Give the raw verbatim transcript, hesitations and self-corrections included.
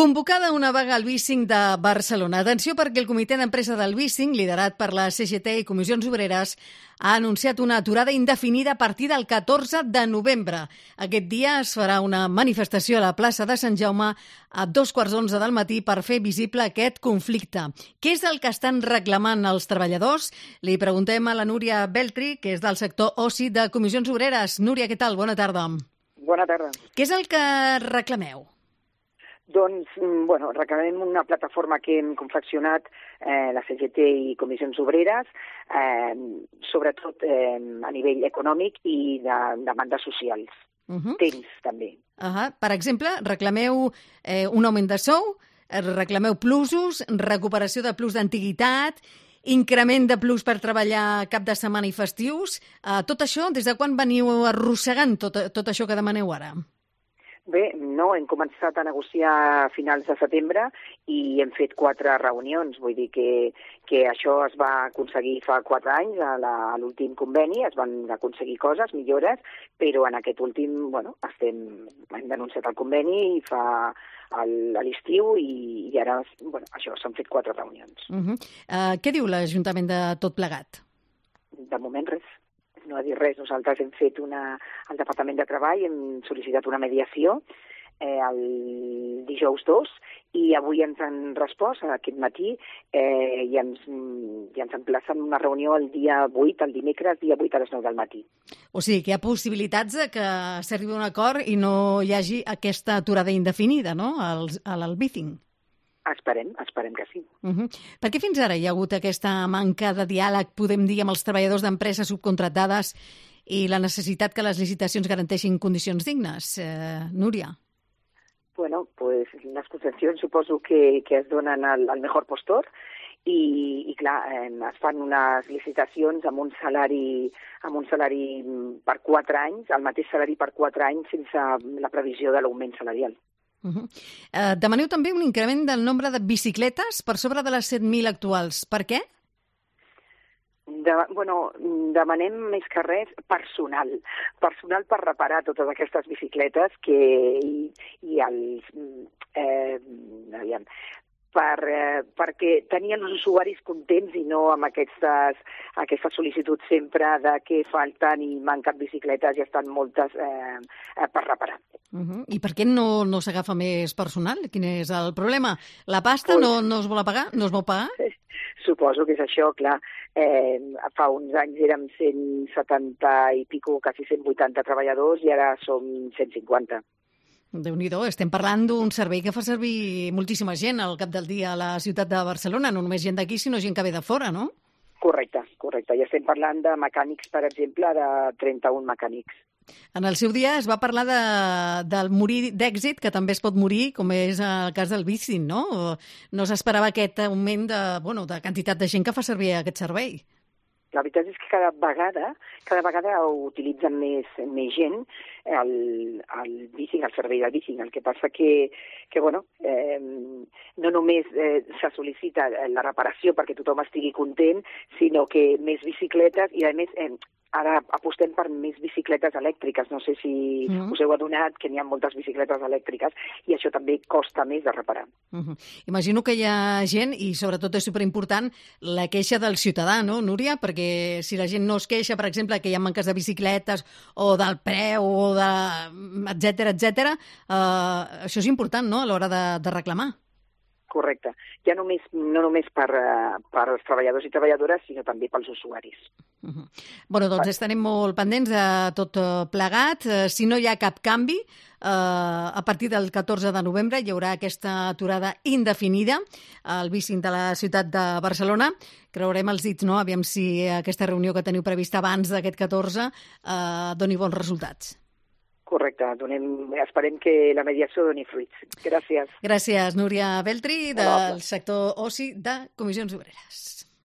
Convocada una vaga al bicing de Barcelona. Atenció perquè el comitè d'empresa del bicing, liderat per la C G T i Comissions Obreres, ha anunciat una aturada indefinida a partir del catorze de novembre. Aquest dia es farà una manifestació a la plaça de Sant Jaume a dos quarts d'onze del matí per fer visible aquest conflicte. Què és el que estan reclamant els treballadors? Li preguntem a la Núria Beltri, que és del sector oci de Comissions Obreres. Núria, què tal? Bona tarda. Bona tarda. Què és el que reclameu? Doncs, bueno, reclamem una plataforma que hem confeccionat eh, la C G T i Comissions Obreres, eh, sobretot eh, a nivell econòmic i de demandes socials. Uh -huh. Temps, també. Uh -huh. Per exemple, reclameu eh, un augment de sou, reclameu plusos, recuperació de plus d'antiguitat, increment de plus per treballar cap de setmana i festius. Uh, tot això, des de quan veniu arrossegant tot, tot això que demaneu ara? Bé, no, hem començat a negociar a finals de setembre i hem fet quatre reunions. Vull dir que, que això es va aconseguir fa quatre anys, a l'últim conveni, es van aconseguir coses, millores, però en aquest últim, bueno, estem, hem denunciat el conveni i fa a l'estiu i, i ara, bueno, això, s'han fet quatre reunions. Uh -huh. uh, què diu l'Ajuntament de tot plegat? De moment res. No ha dit res. Nosaltres hem fet una... Al Departament de Treball hem sol·licitat una mediació eh, el dijous dos i avui ens han respost aquest matí eh, i, ens, i ens emplacen una reunió el dia vuit, el dimecres, dia vuit a les nou del matí. O sigui, que hi ha possibilitats de que s'arribi a un acord i no hi hagi aquesta aturada indefinida, no?, al, al bicing. Esperem, esperem que sí. Uh -huh. Per què fins ara hi ha hagut aquesta manca de diàleg, podem dir, amb els treballadors d'empreses subcontractades i la necessitat que les licitacions garanteixin condicions dignes? Eh, Núria? Bueno, pues les concessions suposo que, que es donen al, al mejor postor i, i clar, eh, es fan unes licitacions amb un salari amb un salari per quatre anys, el mateix salari per quatre anys sense la previsió de l'augment salarial. Uh -huh. uh, demaneu també un increment del nombre de bicicletes per sobre de les set mil actuals. Per què? De, bueno, demanem més que res personal. Personal per reparar totes aquestes bicicletes que, i, i els... Eh, aviam, per, eh, perquè tenien els usuaris contents i no amb aquestes, aquestes sol·licituds sempre de que falten i manquen bicicletes i estan moltes eh, eh, per reparar. Uh -huh. I per què no, no s'agafa més personal? Quin és el problema? La pasta pues, no, no es vol pagar? No es vol pagar? Suposo que és això, clar. Eh, fa uns anys érem cent setanta i pico, quasi cent vuitanta treballadors i ara som cent cinquanta. Déu-n'hi-do, estem parlant d'un servei que fa servir moltíssima gent al cap del dia a la ciutat de Barcelona, no només gent d'aquí, sinó gent que ve de fora, no? Correcte, correcte. I estem parlant de mecànics, per exemple, de trenta-un mecànics. En el seu dia es va parlar de, del morir d'èxit, que també es pot morir, com és el cas del bicing, no? No s'esperava aquest augment de, bueno, de quantitat de gent que fa servir aquest servei. La veritat és que cada vegada, cada vegada utilitzen més, més gent el, el bicing, el servei del bicing. El que passa que, que bueno, eh, no només eh, se sol·licita la reparació perquè tothom estigui content, sinó que més bicicletes i, a més, eh, ara apostem per més bicicletes elèctriques. No sé si uh -huh. us heu adonat que n'hi ha moltes bicicletes elèctriques i això també costa més de reparar. Uh -huh. Imagino que hi ha gent, i sobretot és superimportant, la queixa del ciutadà, no, Núria? Perquè si la gent no es queixa, per exemple, que hi ha manques de bicicletes o del preu o de... etcètera, etcètera, eh, això és important, no?, a l'hora de, de reclamar. Correcte. Ja només, no només per, per als treballadors i treballadores, sinó també pels usuaris. Uh -huh. Bueno, doncs estarem molt pendents de tot plegat. Si no hi ha cap canvi, eh, a partir del catorze de novembre hi haurà aquesta aturada indefinida al bicing de la ciutat de Barcelona. Creurem els dits, no?, aviam si aquesta reunió que teniu prevista abans d'aquest catorze eh, doni bons resultats. Correcte, donem, esperem que la mediació doni fruits. Gràcies. Gràcies, Núria Beltri, del sector oci de Comissions Obreres.